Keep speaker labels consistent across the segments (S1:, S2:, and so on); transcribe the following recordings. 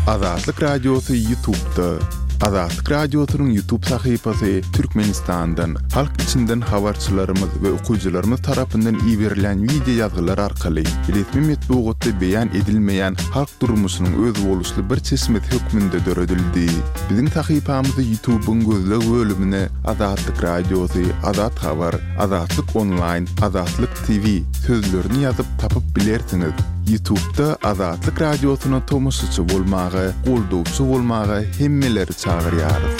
S1: Azatlyk Radiosy Ýutubda. Azatlyk Radiosynyň Ýutub sahypasy Türkmenistandan, halk içinden habarçylarymyz we okyjylarymyz tarapyndan iberilýän wideo ýazgylar arkaly resmi metbugatda beýan edilmeýän halk durmuşynyň özboluşly bir çeşmesi hökmünde döredildi. Biziň sahypamyzy Ýutubyň gözleg bölümine Azatlyk Radiosy, Azat Habar, Azatlyk Onlaýn, Azatlyk TV sözlerini ýazyp tapyp bilersiňiz. Ýutubda Azatlyk Radiosyna tomaşaçy bolmaga, goldawçy bolmaga hemmeleri çagyrýarys.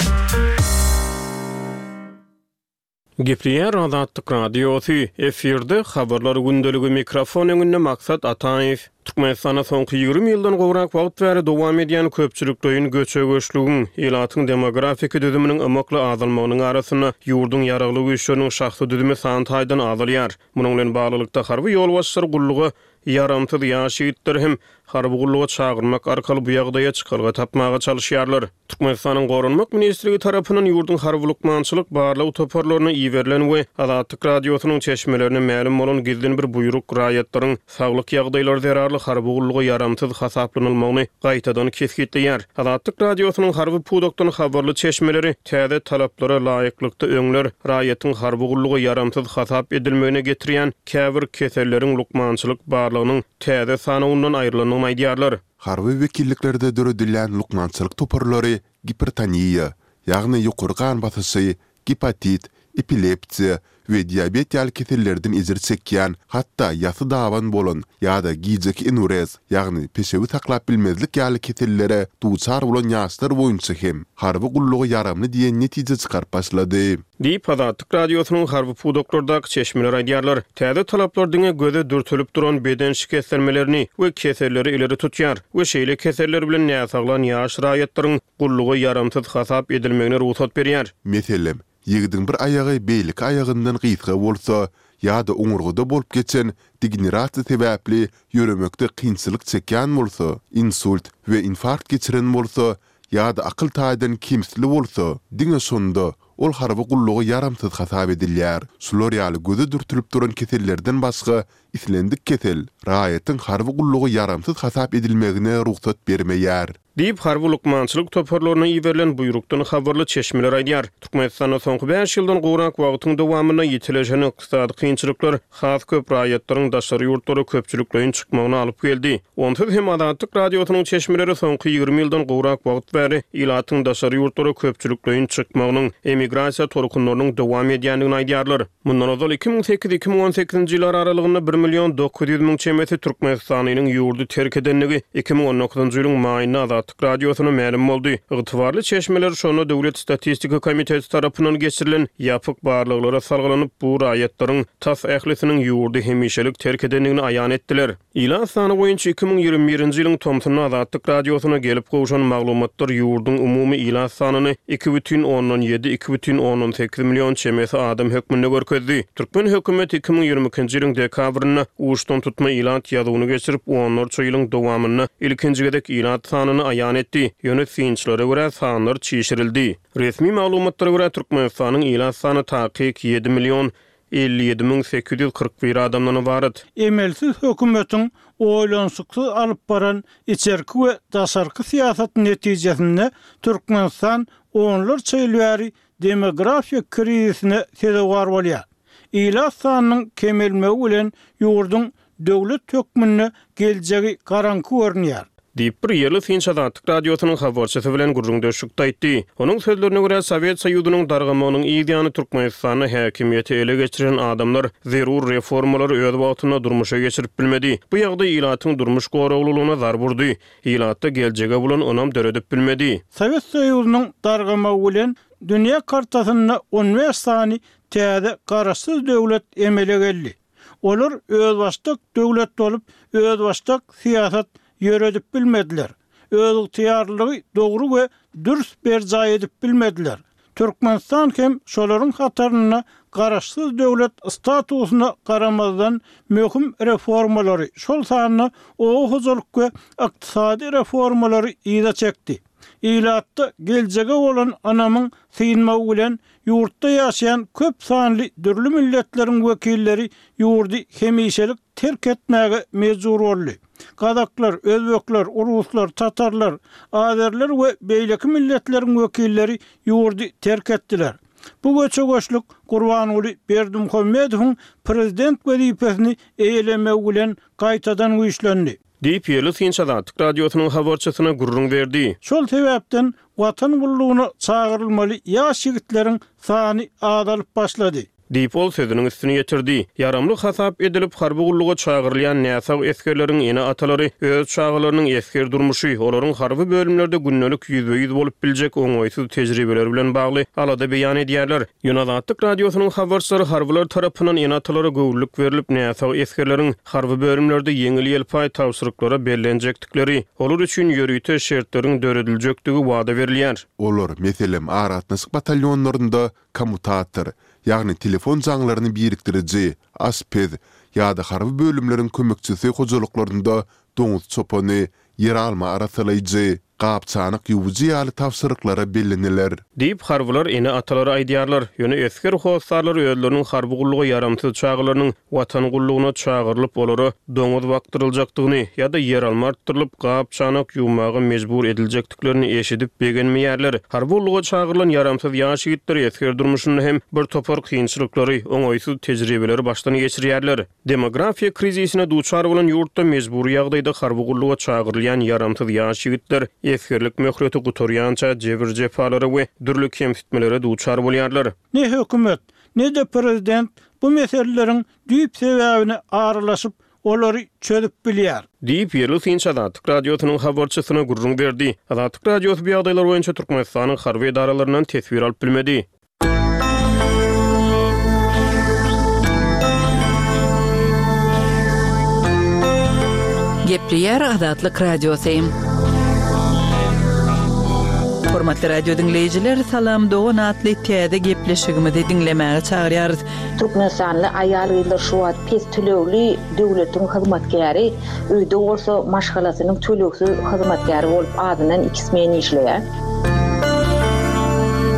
S2: Gepleýär Azatlyk Radiosy, efirde Habarlar gündeligi mikrofon öňünde Maksat Ataýew. Türkmenistanda soňky 20 ýyldan gowrak wagt bäri dowam edýän köpçülikleýin göçe-göçlügiň, ilatyň demografiki düzüminiň ymykly azalmagynyň arasynda ýurduň Ýaragly Güýçleriniň şahsy düzümi san taýdan azalýar. Munuň bilen baglylykda, harby ýolbaşçylar gulluga ýaramsyz ýaş ýigitleri hem harby gulluga çagyrmak arkaly bu ýagdaýa çykalga tapmaga çalyşýarlar. Türkmenistanyň Goranmak ministrligi tarapyndan ýurduň harby-lukmançylyk barlag toparlaryna iberilen we Azatlyk Radiosynyň çeşmelerine mälim bolan gizlin bir buýruk raýatlaryň saglyk ýagdaýlary zerarly harby gulluga ýaramsyz hasaplanylmagyny gaýtadan kesgitleýär. Azatlyk Radiosynyň harby pudakdan habarly çeşmeleri täze talaplara laýyklykda öňler raýatyň harby gulluga ýaramsyz hasap edilmegine getirýän käbir keselleriň lukmançylyk barlagynyň täze sanawyndan aýrylandygyny aýdýarlar.
S1: Harby wekilliklerde döredilýän lukmançylyk toparlary gipertoniýa, ýagny ýokary gan basyşy, gepatit, epilepsiýa we diabet ýaly kesellerden ejir çekýän, hatda ýasy daban bolan ýa-da gijeki enurez, ýagny peşewi saklap bilmezlik ýaly kesellere duçar bolan ýaşlar boýunça hem harby gulluga ýaramly diýen netije çykaryp başlady.
S2: Diýip, Azatlyk Radiosynyň harby pudaklardaky çeşmeleri aýdýarlar. Täze talaplar diňe göze dürtülip duran beden şikeslenmelerini we keselleri ileri tutýar we şeýle keseller bilen näsaglan ýaş raýatlaryň gulluga ýaramsyz hasap edilmegine rugsat berýär.
S1: Meselem, ýigidiň bir aýagy beýleki aýagyndan gysga bolsa ýa-da oňurgada bolup geçen degenerasiýa sebäpli ýöremekde kynçylyk çekýän bolsa, insult we infarkt geçiren bolsa ýa-da akyl taýdan kemsli bolsa, diňe şonda ol harby gulluga ýaramsyz hasap edilýär. Şular ýaly göze dürtülip duran kesellerden başga islendik kesel raýatyň harby gulluga ýaramsyz hasap edilmegine rugsat bermeýär.
S2: Diýip, harby lukmançylyk toparlaryna iberilen buýrukdan habarly çeşmeler aýdýar. Türkmenistanda soňky bäş ýyldan gowrak wagtyň dowamynda ýitileşen ykdysady kynçylyklar has köp raýatlaryň daşary ýurtlara köpçülikleýin çykmagyna alyp geldi. Onsuz hem Azatlyk Radiosynyň çeşmeleri soňky 20 ýyldan gowrak wagt bäri ilatyň daşary ýurtlara köpçülikleýin çykmagynyň, emigrasiýa tolkunlarynyň dowam edýändigini aýdýarlar. Mundan ozal 2008, 2018-nji ýyllar aralygynda bir million 900 müň çemesi türkmenistanlynyň ýurdy terk edendigi 2019-njy ýylyň maýynda Azatlyk Radiosyna mälim boldy. Ygtybarly çeşmeler şonda Döwlet statistika komiteti tarapyndan geçirilen ýapyk barlaglara salgylanyp, bu raýatlaryň tas ählisiniň ýurdy hemişelik terk edendigini aýan etdiler. Ilat sany boýunça 2021-nji ýylyň tomsunda Azatlyk Radiosyna gelip gowşan maglumatlar ýurduň umumy ilat sanyny 2,7, 2,8 million çemesi adam hökmünde görkezdi. Türkmen hökümeti 2022-nji ýylyň dekabrynda uçdantutma ilat ýazuwyny geçirip, onlarça ýylyň dowamynda ilkinji gezek ilat sanyny aýan etdi. Ýöne synçylara görä, sanlar çişirildi. Resmi maglumatlara görä, Türkmenistanyň ilat sany takyk 7 million 57 müň 841 adamdan ybarat.
S3: Emelsiz hökümetiň oýlanyşyksyz alyp baran içerki we daşarky syýasaty netijesinde Türkmenistan onlarça ýyl bäri demografiýa krizisine sezewar bolýar. Ilat sanynyň kemelmegi bilen ýurduň döwlet hökmünde geljegi garaňky görünýär.
S2: Diýip, bir ýerli synçy Azatlyk Radiosynyň habarçysy bilen gürrüňdeşlikde aýtdy. Onuň sözlerine görä, Sowet Soýuzynyň dargamagynyň yz ýany Türkmenistanda häkimiýeti ele geçiren adamlar zerur reformalary öz wagtynda durmuşa geçirip bilmedi. Bu ýagdaý ilatyň durmuş goraglylygyna zarb urdy. Ilatda geljege bolan ynam döredip bilmedi.
S3: Sowet Soýuzynyň dargamagy bilen dünýä kartasynda on bäş sany täze garaşsyz döwlet emele geldi. Olar özbaşdak döwlet bolup, özbaşdak syýasat ýöredip bilmediler. Özygtyýarlylygy dogry we dürs berjaý edip bilmediler. Türkmenistan hem şolaryň hatarynda garaşsyz döwlet statusyna garamazdan möhüm reformalary, şol sanda oba hojalyk we ykdysady reformalary yza çekdi. Ilatda geljege bolan ynamyň synmagy bilen ýurtda ýaşaýan köp sanly dürli milletleriň wekilleri ýurdy hemişelik terk etmäge mejbur boldy. Gazaklar, özbekler, uruslar, tatarlar, azerler we beýleki milletleriň wekilleri ýurdy terk etdiler. Bu göçe-göçlük Gurbanguly Berdimuhamedowyň prezident wezipesini eýelemegi bilen gaýtadan güýçlendi.
S2: Diýip, ýerli synçy Azatlyk Radiosynyň habarçysyna gürrüň berdi.
S3: Şol sebäpden Watan gullugyna çagyrylmaly ýaş ýigitleriň sany azalyp başlady.
S2: Diýip, ol sözüniň üstüni ýetirdi. Ýaramly hasap edilip, harby gulluga çagyrylýan näsag esgerleriň ene-atalary öz çagalarynyň esger durmuşy, olaryň harby bölümlerde gündelik ýüzbe-ýüz bolup biljek oňaýsyz tejribeleri bilen bagly alada beýan edýärler. Ýöne Azatlyk Radiosynyň habarçylary harbylar tarapyndan ene-atalara göwünlik berlip, näsag esgerleriň harby bölümlerde ýeňil-ýelpaý tabşyryklara bellenjekdikleri, olar üçin ýörite şertleriň dörediljekdigi wada berilýär.
S1: Olar, meselem, aragatnaşyk batalýonlarynda kommutator, ýagny telefon jaňlaryny birikdiriji, aşpez ýa-da harby bölümleriň kömekçisi hojalyklarynda doňuz çopany, ýeralma arassalaýjy, gap-çanak ýuwujy ýaly tabşyryklara belleniler.
S2: Diýip, harbylar ene-atalara aýdýarlar. Ýöne esger hossarlary özleriniň harby gulluga ýaramsyz çagalarynyň Watan gullugyna çagyrylyp, olara doňuz bakdyryljakdygyny ýa-da ýeralma artdyrylyp, gap-çanak ýuwmaga mejbur ediljekdiklerini eşidip begenmeýärler. Harby gulluga çagyrylan ýaramsyz ýaş ýigitler esger durmuşynda hem bir topar kynçylyklary, oňaýsyz tejribeleri başdan geçirýärler. Demografiýa krizisine duçar bolan ýurtda mejbury ýagdaýda harby gulluga çagyrylýan ýaramsyz ýaş ýigitler esgerlik möhleti gutarýança jebir-jepalara we dürli kemsitmelere duçar bolýarlar.
S3: Ne hökümet, ne-de prezident bu meseleleriň düýp sebäbine aralaşyp, olary çözüp bilýär.
S2: Diýip, ýerli synçy Azatlyk Radiosynyň habarçysyna gürrüň berdi. Azatlyk Radiosy bu ýagdaýlar boýunça Türkmenistanyň harby edaralaryndan teswir alyp bilmedi.
S4: Gepleýär Azatlyk Radiosy. Hormatly radio diňleýjiler, Salam dogan atly täze gepleşigimizi diňlemäge çagyrýarys.
S5: Türkmenistanly aýal-gyzlar şu wagt pes tölegli döwletiň hyzmatkäri, öýde bolsa maşgalasynyň tölegsiz hyzmatkäri bolup azyndan iki smen işleýär.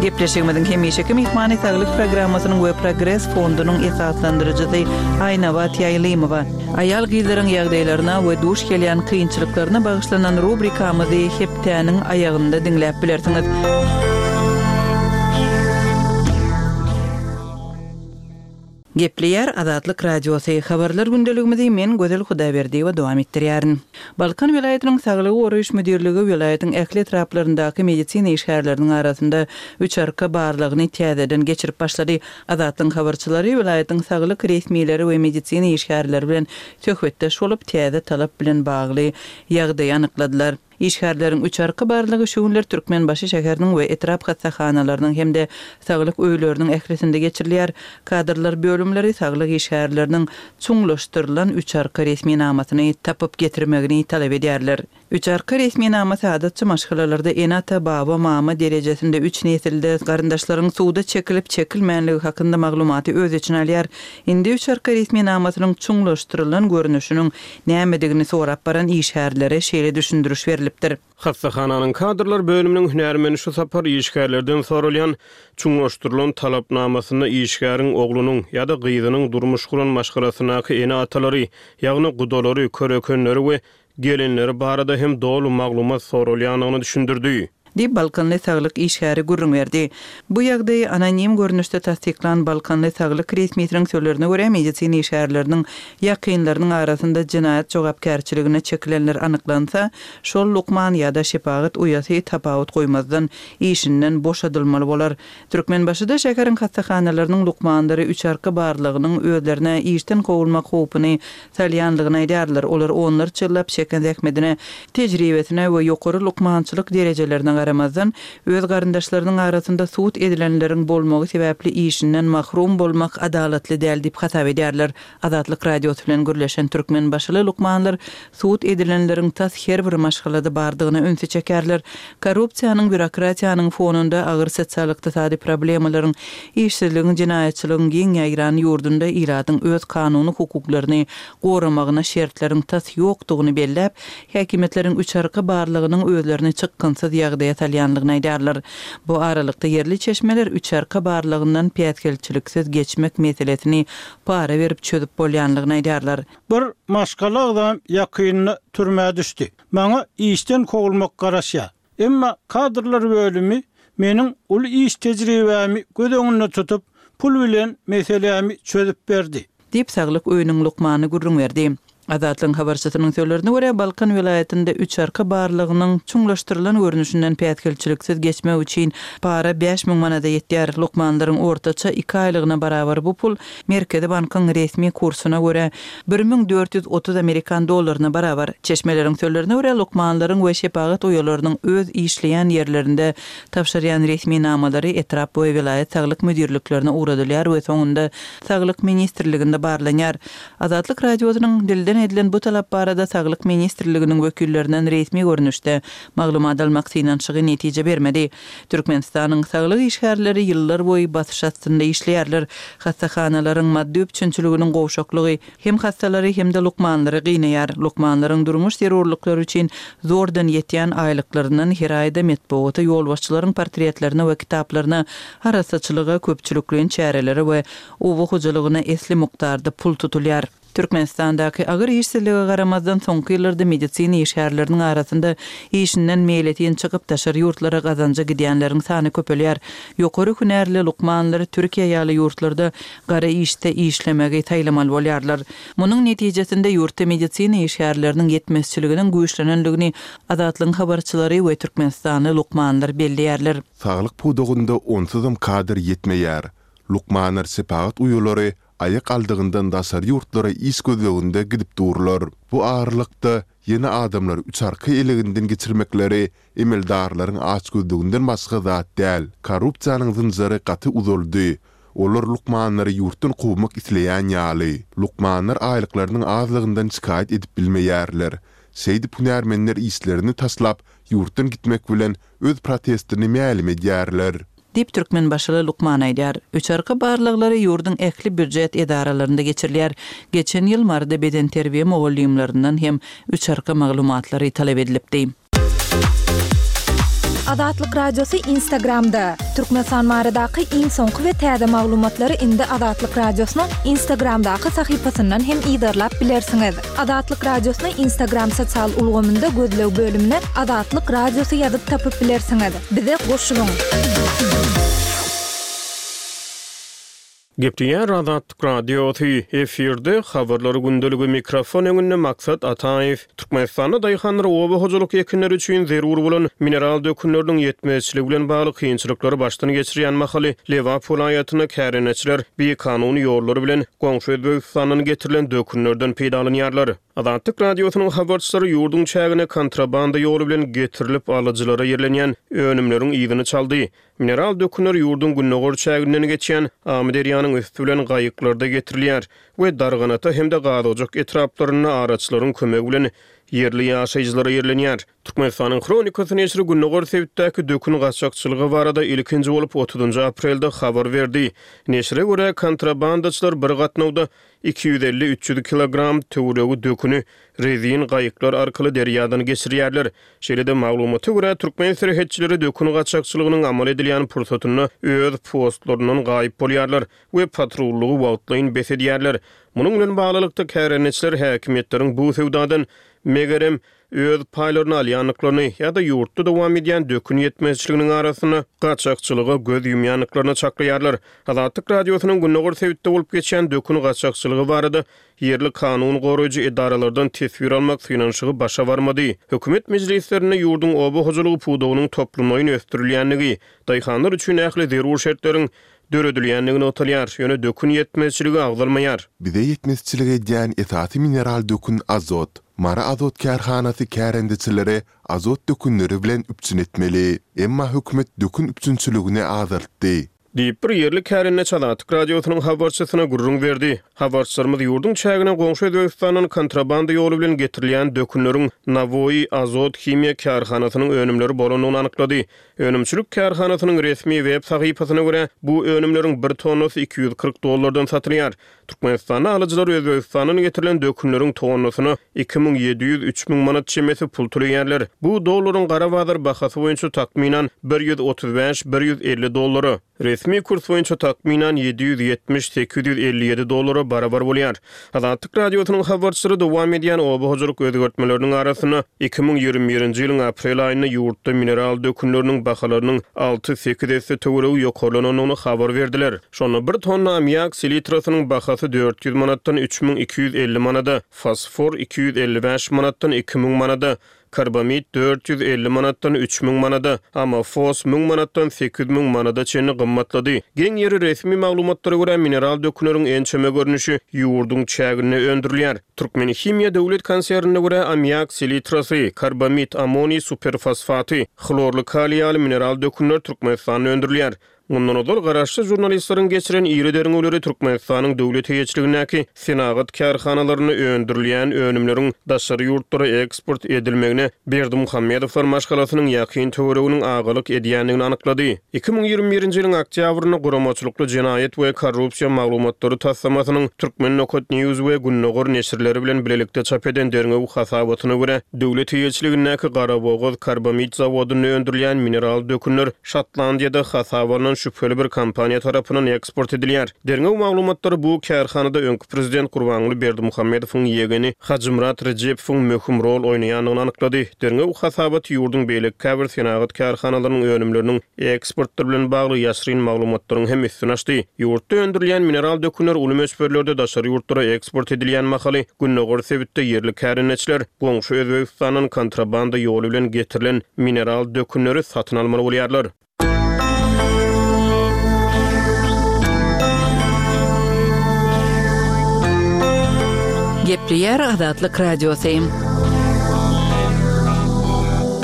S4: Gepleşigimiziň hemişeki myhmany Saglyk programmasynyň we Progres fondunyň esaslandyryjysy Aýnabat Ýaýlymowa. Aýal-gyzlaryň ýagdaýlaryna we duş gelýän kynçylyklaryna bagyşlanan rubrikamyzy hepdäniň aýagynda diňläp bilersiňiz. Gepleýär Azatlyk Radiosy, Habarlar gündeligimizi men Gözel Hudaýberdiýewa dowam etdirýärin. Balkan welaýatynyň Saglygy goraýyş müdirligi welaýatyň ähli etraplaryndaky medisina işgärleriniň arasynda üç arka barlagyny täzeden geçirip başlady. Azatlygyň habarçylary welaýatyň saglyk resmileri we medisina işgärleri bilen söhbetdeş bolup, täze talap bilen bagly ýagdaýy anykladylar. Işgärleriň üç arka barlagy şu günler Türkmenbaşy şäheriniň we etrap hassahanalarynyň hem-de saglyk öýleriniň ählisinde geçirilýär. Kadrlar bölümleri saglyk işgärleriniň çuňlaşdyrylan üç arka resminamasyny tapyp getirmegini talap edýärler. Üç arka resminamasy adatça maşgalalarda ene-ata, baba, mama derejesinde üç nesilde garyndaşlaryň suda çekilip-çekilmänligi hakynda maglumaty öz içine alýar. Indi üç arka resminamasynyň çuňlaşdyrylan görnüşiniň nämedigini sorap baran işgärlere şeýle düşündiriş berlipdir.
S2: Hassahananyň kadrlar bölüminiň hünärmeni şu sapar işgärlerden soralýan çuňlaşdyrylan talapnamasynda işgäriň oglunyň ýa-da gyzynyň durmuş guran maşgalasyndaky ene-atalary, ýagny gudalary, körekenleri we gelinleri barada hem doly maglumat soralýandygyny düşündirdi.
S4: Diýip, balkanly saglyk işgäri gürrüň berdi. Bu ýagdaýy anonim görnüşde tassyklan balkanly saglyk resmisiniň sözlerine görä, medisina işgärleriniň ýakynlarynyň arasynda jenaýat jogapkärçiligine çekilenler anyklansa, şol lukman ýa-da şepagat uýasy tapawut goýmazdan işinden boşadylmaly bolar. Türkmenbaşyda şäheriň hassahanalarynyň lukmanlary üç arka barlagynyň özlerine işden kowulmak howpuny salýanlygyny aýdýarlar. Olar onlarça ýyllap çeken zähmetine, tejribesine we ýokary lukmançylyk derejelerine garamazdan, öz garyndaşlarynyň arasynda sud edilenleriň bolmagy sebäpli işinden mahrum bolmak adalatly däl diýip hasap edýärler. Azatlyk Radiosy bilen gürleşen türkmenbaşyly lukmanlar sud edilenleriň tas her bir maşgalada bardygyna ünsi çekerler. Korrupsiýanyň, býurokratiýanyň fonunda agyr sosial-ykdysady problemalaryň, işsizligiň, jenaýatçylygyň giň ýaýran ýurdunda ilatyň öz kanuny hukuklaryny goramagyna şertleriň tas ýokdugyny belläp, häkimiýetleriň üç arka barlygynyň özlerini çykgynsyz ýagdaýa. ýagdaýa salýanlygyny aýdýarlar. Bu aralykda, ýerli çeşmeler üçarka barlagyndan päsgelçiliksiz geçmek meselesini para berip çözüp bolýanlygyny aýdýarlar.
S3: Bir maşgala agzam ýakynda türmä düşdi. Maňa işden kowulmak garaşýar. Emma kadrlar bölümi meniň uly iş tejribämi göz öňünde tutup, pul bilen meselämi çözüp berdi.
S4: Diýip, saglyk öýüniň lukmany gürrüň berdi. Azatlygyň habarçysynyň sözlerine görä, Balkan welaýatynda üçarka barlagynyň çuňlaşdyrylan görnüşinden päsgelçiliksiz geçmek üçin para 5000 manada ýetýär. Lukmanlaryň ortaça iki aýlygyna barabar bu pul Merkezi bankyň resmi kursuna görä, 1430 amerikan dollaryna barabar. Çeşmeleriň sözlerine görä, lukmanlaryň we şepagat uýalarynyň öz işleýän ýerlerinde tabşyrýan resminamalary etrap we welaýat saglyk müdirliklerine ugradylýar we soňunda Saglyk ministrliginde barlanýar. Azatlyk Radiosynyň dilden edilen bu talap barada Saglyk ministrliginiň wekillerinden resmi görnüşde maglumat almak synanyşygy netije bermedi. Türkmenistanyň saglyk işgärleri ýyllarboýy basyş astynda işleýärler. Hassahanalaryň maddy üpjünçiliginiň gowşaklygy hem hassalary, hem-de lukmanlary gynaýar. Lukmanlaryň durmuş zerurlyklary üçin zordan ýetýän aýlyklaryndan her aýda metbugata, ýolbaşçylaryň portretlerine we kitaplaryna, arassaçylyga, köpçülikleýin çärelere we oba hojalygyna esli mukdarda pul tutulýar. Türkmenistandaky agyr işsizlige garamazdan, soňky ýyllarda medisina işgärleriniň arasynda işinden meýletin çykyp, daşary ýurtlara gazanja gidýänleriň sany köpelýär. Ýokary hünärli lukmanlar Türkiýe ýaly ýurtlarda gara işde işlemegi saýlamaly bolýarlar. Munuň netijesinde ýurtda medisina işgärleriniň ýetmezçiliginiň güýçlenendigini Azatlygyň habarçylary we türkmenistanly lukmanlar belleýärler.
S1: Saglyk pudagynda onsuzam kadr ýetmeýär. Lukmanlar şepagat uýalary aýak aldygyndan daşary ýurtlara iş gözleginde gidip durlar. Bu aralykda, ýene adamlary üçarka eleginden geçirmekleri emeldarlaryň açgözlüginden başga zat däl. Korrupsiýanyň zynjyry gaty uzaldy. Olar lukmanlary ýurtdan kowmak isleýän ýaly. Lukmanlar aýlyklarynyň azlygyndan şikaýat edip bilmeýärler. Şeýdip hünärmenler işlerini taşlap, ýurtdan gitmek bilen öz protestini mälim edýärler.
S4: Diýip, türkmenbaşyly lukman aýdýar. Üçarka barlaglary ýurduň ähli býujet edaralarynda geçirilýär. Geçen ýyl Maryda bedenterbiýe mugallymlaryndan hem üçarka maglumatlary talap edilipdi.
S6: Azatlyk Radiosy Instagramda, Türkmenistan baradaky iň soňky we täze maglumatlary indi Azatlyk Radiosynyň Instagramdaky sahypasyndan hem yzarlap bilersiňiz. Azatlyk Radiosyny Instagram sosial ulgamynda gözleg bölümine Azatlyk Radiosy ýazyp tapyp bilersiňiz. Bize goşulyň!
S2: Gepleýär Azatlyk Radiosy, efirde Habarlar gündeligi, mikrofon öňünde Maksat Ataýew. Türkmenistanda daýhanlar oba hojalyk ekinleri üçin zerur bolan mineral dökünleriniň ýetmezçiligi bilen bagly kynçylyklary başdan geçirýän mahaly, Lebap welaýatynda kärendeçiler bikanun ýollar bilen goňşy Özbegistandan getirilen dökünlerden peýdalanýarlar. Azatlyk Radiosynyň habarçylary ýurduň çägine kontrabanda ýoly bilen getirilip alyjylara ýerlenýän önümleriň yzyny çaldy. Mineral dökünler ýurduň gündogar çäginden geçýän Amyderýanyň üsti bilen gaýyklarda getirilýär we Darganata hem-de Gazojak etraplarynda araçylaryň kömegi bilen ýerli ýaşaýjylara ýerlenýär. Türkmenistanyň Hronikasy neşiri gündogar sebitdäki dökün gaçakçylygy barada ilkinji bolup otuzynjy aprelde habar berdi. Neşire görä, kontrabandaçylar bir gatnawda 250-300 kilogram töweregi döküni rezin gaýyklar arkaly derýadan geçirýärler. Şeýle-de, maglumata görä, türkmen serhetçileri dökün gaçakçylygynyň amal edilýän pursatynda öz postlaryndan gaýyp bolýarlar we patrullygy wagtlaýyn bes edýärler. Munuň bilen baglylykda, kärendeçiler häkimiýetleriň bu söwdadan, megerem, öz paýlaryny alýandyklaryny ýa-da ýurtda dowam edýän dökün ýetmezçiliginiň arasynda gaçakçylyga göz ýumýandyklaryny çaklaýarlar. Azatlyk Radiosynyň gündogar sebitde bolup geçýän dökün gaçakçylygy barada ýerli kanun goraýjy edaralardan teswir almak synanyşygy başa barmady. Hökümet mejlislerinde ýurduň oba hojalygy pudagynyň toplumlaýyn ösdürilýändigi, daýhanlar üçin ähli zerur şertleriň döredilýändigi nygtalýar, ýöne dökün ýetmezçiligi agzalmaýar.
S1: Bize ýetmezçilik edýän esasy mineral dökün azot. Mary azot kärhanasy kärendeçileri azot dökünleri bilen üpjün etmeli. Emma hökümet dökün üpjünçiligini azaltdy.
S2: Diýip, bir ýerli kärendeçi Azatlyk Radiosynyň habarçysyna gürrüň berdi. Habarçylarymyz ýurduň çägine goňşy Özbegistandan kontrabanda ýoly bilen getirilýän dökünleriň Nawoi Azot himiýa kärhanasynyň önümleri bolandygyny anyklady. Önümçilik kärhanasynyň resmi web sahypasyna görä, bu önümleriň bir tonnasy 240 dollardan satylýar. Türkmenistanda alyjylar Özbegistandan getirilen dökünleriň tonnasyna 2700, 3000 manat çemesi pul töleýärler. Bu dollaryň gara bazar bahasy boýunça takmynan 135, 150 dollara. Resmi kurs boýunça takmynan 770, 857 dollara barabar bolýar. Azatlyk Radiosynyň habarçylary dowam edýän oba hojalyk özgertmeleriniň arasynda 2021-nji ýylyň aprel aýynda ýurtda mineral dökünleriniň bahalarynyň alty-sekiz esse töweregi ýokarlanandygyny habar berdiler. Şonda bir tonna ammiak selitrasynyň bahasy 400 manatdan 3250 manada, fosfor 255 manatdan 2000 manada, Karbamid 450 manatdan 3000 manada, amofos 1000 manatdan 8000 manada çenli gymmatlady. Geň ýeri, resmi maglumatlara görä, mineral dökünleriň ençeme görnüşi ýurduň çäginde öndürilýär. Türkmenhimiýa döwlet konsernine görä, ammiak selitrasy, karbamid, ammoniý superfosfaty, hlorly kaliý ýaly mineral dökünler Türkmenistanda öndürilýär. Mundan ozal, garaşsyz žurnalistleriň geçiren iri derňewleri Türkmenistanyň döwlet eýeçiligindäki senagat kärhanalarynda öndürilýän önümleriň daşary ýurtlara eksport edilmegine Berdimuhamedowlar maşgalasynyň ýakyn töwereginiň agalyk edýändigini anyklady. 2021-nji ýylyň oktýabrynda guramaçylykly jenaýat we korrupsiýa maglumatlary taslamasynyň Turkmen. News we Gündogar neşirleri bilen bilelikde çap eden derňew hasabatyna görä, döwlet eýeçiligindäki Garabogaz karbamid zawodynda öndürilýän mineral dökünler Şotlandiýada hasaba alnan şübheli bir kompaniýa tarapyndan eksport edilýär. Derňew maglumatlary bu kärhanada öňki prezident Gurbanguly Berdimuhamedowyň ýegeni Hajymyrat Rejepowyň möhüm rol oýnaýandygyny anyklady. Derňew hasabaty ýurduň beýleki käbir senagat kärhanalarynyň önümleriniň eksportlary bilen bagly ýaşryn maglumatlaryň hem üstüni açdy. Ýurtda öndürilýän mineral dökünler uly möçberlerde daşary ýurtlara eksport edilýän mahaly, gündogar sebitde ýerli kärendeçiler goňşy Özbegistandan kontrabanda ýoly bilen getirilen mineral dökünleri satyn almaly bolýarlar.
S4: Gepleýär Azatlyk Radiosy.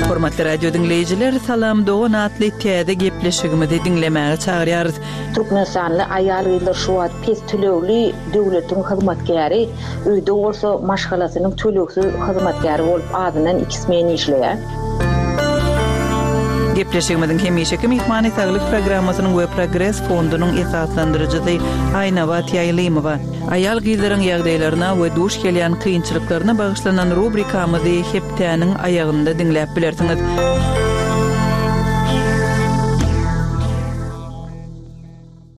S4: Hormatly radio diňleýjiler, Salam dogan atly täze gepleşigimizi diňlemäge çagyrýarys.
S5: Türkmenistanly aýal-gyzlar şu wagt pes tölegli döwletiň hyzmatkäri, öýde bolsa maşgalasynyň tölegsiz hyzmatkäri bolup azyndan iki smen işleýär.
S4: Gepleşigimiziň hemişeki myhmany Saglyk programmasynyň we Progres fondunyň esaslandyryjysy Aýnabat Ýaýlymowa. Aýal-gyzlaryň ýagdaýlaryna we duş gelýän kynçylyklaryna bagyşlanan rubrikamyzy hepdäniň aýagynda diňläp bilersiňiz.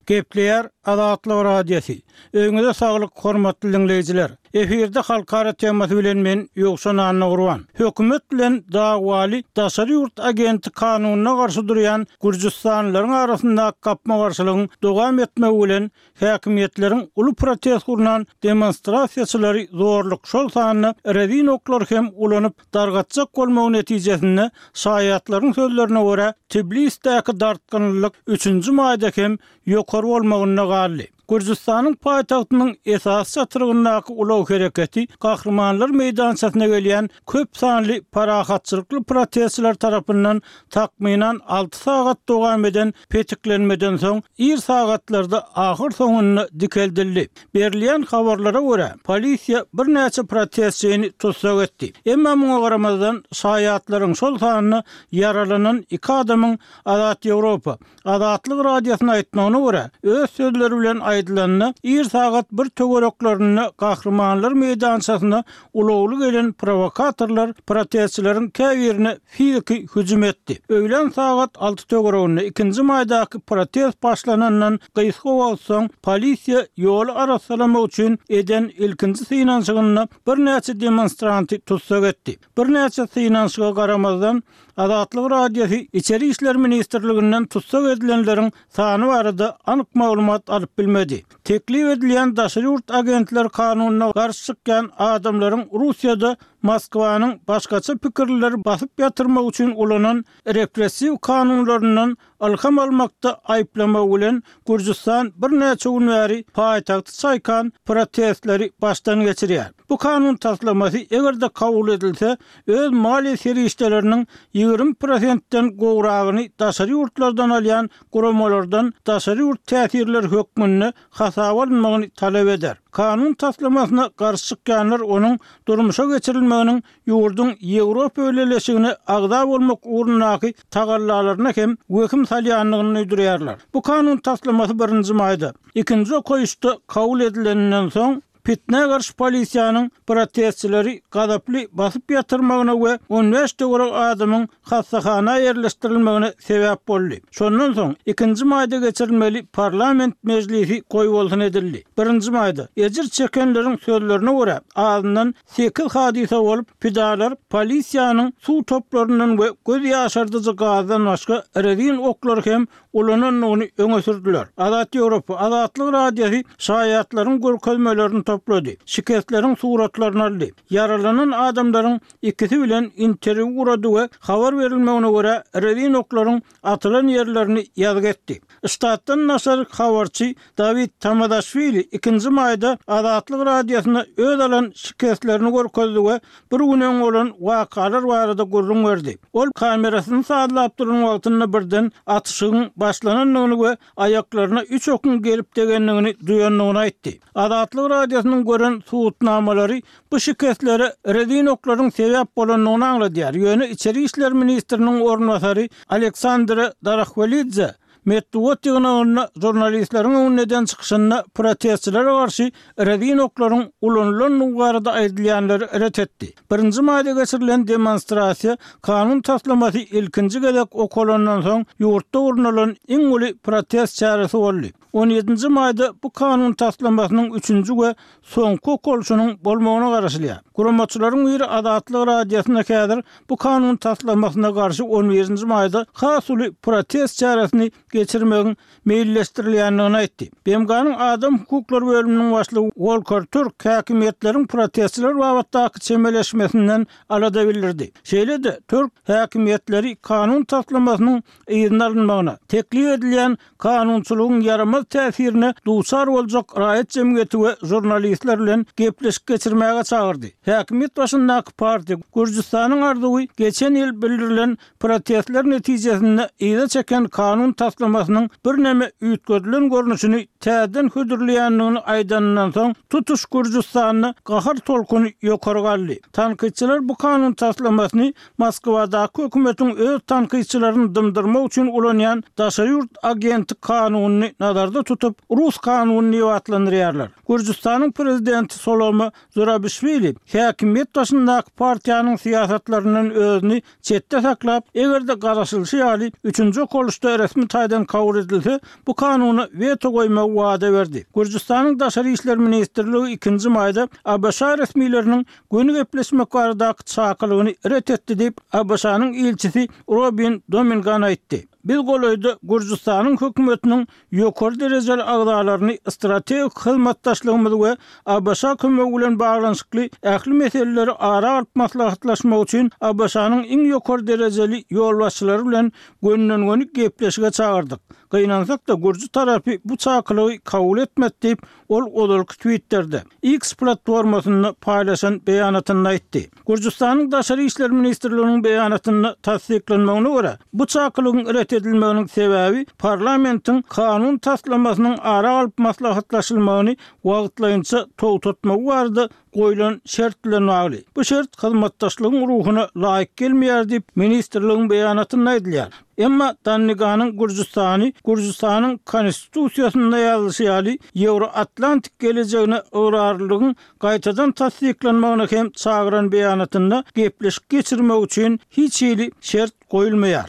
S3: Gepleýär Azatlyk Radiosy. Öýüňize saglyk hormatly diňleýjiler. Efirde halkara temasy bilen men Ýowşan Annagurban. Hökümet bilen dawaly daşary ýurt agenti kanunyna garşy durýan gürjüstanlylaryň arasyndaky gapma-garşylygyň dowam etmegi bilen häkimiýetleriň uly protest gurnan demonstrasiýaçylary zorluk şol sanda rezin oklary hem ulanyp dargatjak bolmagy netijesinde şaýatlaryň sözlerine görä Tblisdäki dartgynlylyk üçünji maýda hem ýokary bolmagynda galdy. Gürjüstanyň paýtagtynyň esasy çatrygyndaky ulag hereketi Gahrymanlar meýdançasyna gelýän köp sanly parahatçylykly protestçiler tarapyndan takmynan alty sagat dowam eden petiklenmeden soň ir sagatlarda ahyrsoňunda dikeldildi. Berilýän habarlara görä, polisiýa birnäçe protestçini tussag etdi. Emma muňa garamazdan, şaýatlaryň, şol sanda ýaralanan iki adamyň Azat Ýewropa, Azatlyk Radiosyna aýtmagyna görä, öz sözleri bilen aýdylanda, ir sagat bir töwereklerinde Gahrymanlar meýdançasyna ulagly gelen prowokatorlar protestçileriň käbirine fiziki hüjüm etdi. Öýlän sagat alty töwereginde, ikinji maýdaky protest başlanandan gysga wagt soň, polisiýa ýoly arassalamak üçin eden ilkinji synanyşygynda birnäçe demonstranty tussag etdi. Birnäçe synanyşyga garamazdan, Azatlyk Radiosy Içeri işler ministrliginden tussag edilenleriň sany barada anyk maglumat alyp bilmedi. Teklip edilýän daşary ýurt agentleri kanunyna garşy çykýan adamlaryň Russiýada Moskwanyň başgaça pikirlileri basyp ýatyrmak üçin ulanan repressiw kanunlaryndan ylham almakda aýyplamagy bilen Gürjüstan birnäçe gün bäri paýtagty çaýkan protestleri başdan geçirýär. Bu kanun taslamasy eger-de kabul edilse, öz maliýe serişdeleriniň 20 prosentden gowragyny daşary ýurtlardan alýan guramalardan daşary ýurt täsirleri hökmünde hasaba alynmagyny talap eder. Kanun taslamasyna garşy çykýanlar onuň durmuşa geçirilmeginiň ýurduň Ýewropa Bileleşigine agza bolmak ugrundaky tagallalaryna hem wehim salýandygyny duýdurýarlar. Bu kanun taslamasy birinji maýda, ikinji okaýyşda kabul edileninden soň, pitnä garşy polisiýanyň protestçileri gazaply basyp ýatyrmagyna we 15 töweregi adamyň hassahana ýerleşdirilmegine sebäp boldy. Şondan soň, ikinji maýda geçirilmeli parlament mejlisi goýbolsun edildi. Birinji maýda, ejir çekenleriň sözlerine görä, azyndan Sekiz hadysa bolup, pidalar polisiýanyň suw toplaryndan we göz ýaşardyjy gazdan başga rezin oklary hem ulanandygyny öňe sürdüler. Azat Ýewropa, Azatlyk Radiosy şaýatlaryň görkezmelerini toplady, şikesleriň suratlaryny aldy, ýaralanan adamlaryň ikisi bilen interwýu gurady we habar berilmegine görä, rezin oklaryň atylan ýerlerini ýazgy etdi. Ştatdan daşary habarçy Dawid Tamadaşwili ikinji maýda Azatlyk Radiosyna öz alan şikeslerini görkezdi we bir gün öň bolan wakalar barada gürrüň berdi. Ol kamerasyny sazlap duran wagtynda birden atyşygyň başlanandygyny we aýaklaryna üç okuň gelip degendigini duýandygyny aýtdy. Azatlyk Radiosynyň gören subutnamalary bu şikeslere rezin oklaryň sebäp bolandygyny aňladýar, ýöne içeri işler ministriniň orunbasary Aleksandre Darahwelidze metbugat ýygnagynda žurnalistleriň öňünde eden çykyşynda protestçilere garşy rezin oklaryň ulanylandygy barada aýdylýanlary ret etdi. Birinji maýda geçirilen demonstrasiýa kanun taslamasy ilkinji gezek okalandan soň ýurtda gurnalan iň uly protest çäresi boldy. On ýedinji maýda bu kanun taslamasynyň üçünji we soňky okalyşynyň bolmagyna garaşylýar. Guramaçylaryň biri Azatlyk Radiosyna häzir bu kanun taslamasyna garşy on birinji maýda has uly protest çäresini geçirmegiň meýilleşdirilýändigini aýtdy. BMG-niň adam hukuklary bölüminiň başlygy Wolker Türk häkimiýetleriň protestçiler babatdaky çemeleşmesinden alada bildirdi. Şeýle-de, Türk häkimiýetleri kanun taslamasynyň yzyna alynmagyna, teklip edilýän kanunçylygyň ýaramaz täsirine duçar boljak raýat jemgyýeti we žurnalistler bilen gepleşik geçirmäge çagyrdy. Häkimiýet başyndaky partiýa Gürjüstanyň arzuwy geçen ýyl bildirilen protestler netijesinde yza çeken kanun taslamasynyň birneme üýtgedilen görnüşini täzeden hödürleýändigini aýdanyndan soň, tutuş Gürjüstanda gahar tolkuny ýokary galdy. Tankytçylar bu kanun taslamasyny Moskwadaky hökümetiň öz tankytçylaryny dymdyrmak üçin ulanýan daşary ýurt agenti kanunyny nazarda tutup, rus kanuny diýip atlandyrýarlar. Gürjüstanyň prezidenti Solome Zurabişwili häkimiýet başyndaky partiýanyň syýasatlaryndan özüni çetde saklap, eger-de garaşylyşy ýaly üçünji okalyşda resmi taýdan kabul edilse, bu kanuna weto goýmagy wada berdi. Gürjüstanyň Daşary işler ministrligi ikinji maýda ABŞ resmileriniň göni gepleşmek baradaky çakylygyny ret etdi diýip, ABŞ-nyň ilçisi Robin Domingan aýtdy. Biz golaýda Gürjüstanyň hökümetiniň ýokary derejeli agzalaryny strategik hyzmatdaşlygymyz we ABŞ kömegi bilen baglanyşykly ähli meseleleri ara alyp maslahatlaşmak üçin ABŞ-nyň iň ýokary derejeli ýolbaşçylary bilen gönüden-göni gepleşige çagyrdyk. Gynansak-da, gürji tarapy bu çakylygy kabul etmedi diýip, Ol ozalky Twitterde, X platformasynda paýlaşan beýanatynda aýtdy. Gürjüstanyň Daşary işler ministrliginiň beýanatynda tassyklanmagyna görä, bu çakylygyň ret edilmeginiň sebäbi parlamentiň kanun taslamasynyň ara alyp maslahatlaşylmagyny wagtlaýynça togtatmagy barada goýlan şert bilen bagly. Bu şert hyzmatdaşlygyň ruhuna laýyk gelmeýär diýip, ministrligiň beýanatynda aýdylýar. Emma Danniganyň Gürjüstany Gürjüstanyň Konstitusiýasynda ýazylyşy ýaly Ýewroatlantik gelejegine ygrarlylygyň gaýtadan tassyklanmagyna hem çagyran beýanatynda gepleşik geçirmek üçin hiç hili şert goýulmaýar.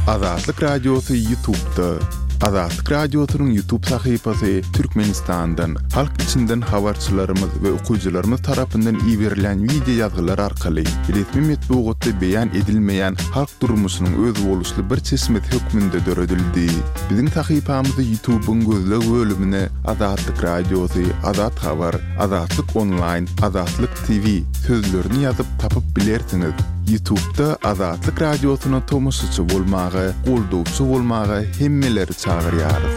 S1: Azatlyk Radiosy YouTube'da. Azatlyk Radiosynyň YouTube sahypasy Türkmenistandan, halk içinden habarçylarymyz we okyjylarymyz tarapyndan iberilýän wideo ýazgylar arkaly resmi metbugatda beýan edilmeýän halk durmuşynyň özboluşly bir çeşmesi hökmünde döredildi. Biziň sahypamyzy YouTube-yň gözleg bölümine Azatlyk Radiosy, Azat Habar, Azatlyk Onlaýn, Azatlyk TV sözlerini ýazyp tapyp bilersiňiz. Ýutubda Azatlyk Radiosyna tomaşaçy bolmaga, goldawçy bolmaga hemmeleri çagyrýarys.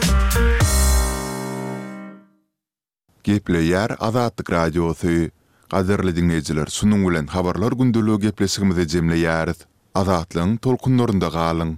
S1: Gepleýär Azatlyk Radiosy. Gadyrly diňleýjiler şunuň bilen Habarlar gündeligi gepleşigimizi jemleýäris. Azatlygyň tolkunlarynda galyň!